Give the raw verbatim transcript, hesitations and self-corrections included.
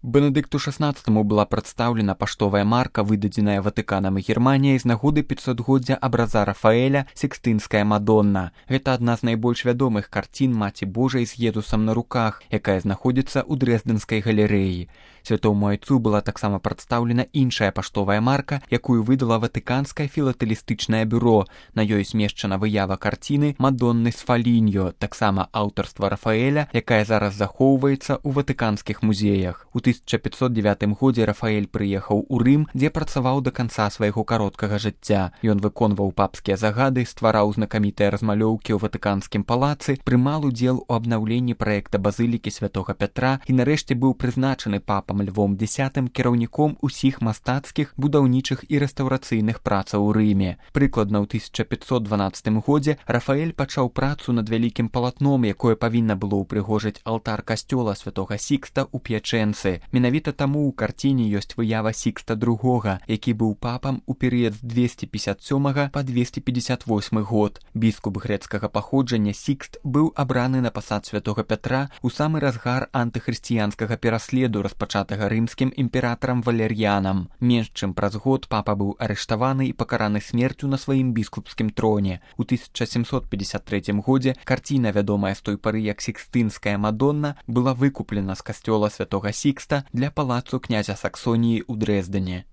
Бенедыкту шаснаццатаму была прадстаўлена паштовая марка, выдадзеная Ватыканам і Германіяй з нагоды пяцьсотгоддзя абраза Рафаэля «Сікстынская Мадонна». Гэта адна з найбольш вядомых карцін Маці Божай з Езусам на руках, якая знаходзіцца ў Дрэздэнскай галерэі. Святому айцу была таксама прадстаўлена іншая паштовая марка, якую выдала Ватыканскае філатэлістычнае бюро. На ёй змешчана выява карціны «Мадонны з Фаліньо», таксама аўтарства Рафаэля, якая зараз захоўваецца ў ватыканскіх музеях. У тысяча пятьсот дзевятым годзе Рафаэль прыехаў у Рым, дзе працаваў да канца свайго кароткага жыцця. Ён выконваў папскія загады, ствараў знакамітыя размалёўкі ў ватыканскім палацы, прымаў удзел у абнаўленні праекта базылікі святога Пятра і нарэшце быў прызначаны папам Львом Дзясятым кіраўніком усіх мастацкіх, будаўнічых і рэстаўрацыйных працаў у Рыме. Прыкладна ў тысяча пятьсот дванаццатым годзе Рафаэль пачаў працу над вялікім палатном, якое павінна было ўпрыгожыць алтар касцёла святога Сікста ў П'ячэнцы. Менавіта таму ў карціне ёсць выява Сікста другога, які быў папам у перыяд з дзвесце пятьдесят сёмага па двесце пятьдесят восьмы год. Біскуп грэцкага паходжання Сікст быў абраны на пасад святога Пятра ў самы разгар антыхрысціянскага пераследу, распачатага рымскім імператарам Валер'янам. Менш чым праз год папа быў арыштаваны і пакараны смерцю на сваім біскупскім троне. У тысяча сямсот пятьдесят трэцім годзе карціна, вядомая з той пары як «Сікстынская Мадонна», была выкуплена з касцёла святога Сікста для палацу князя Саксоніі ў Дрэздане.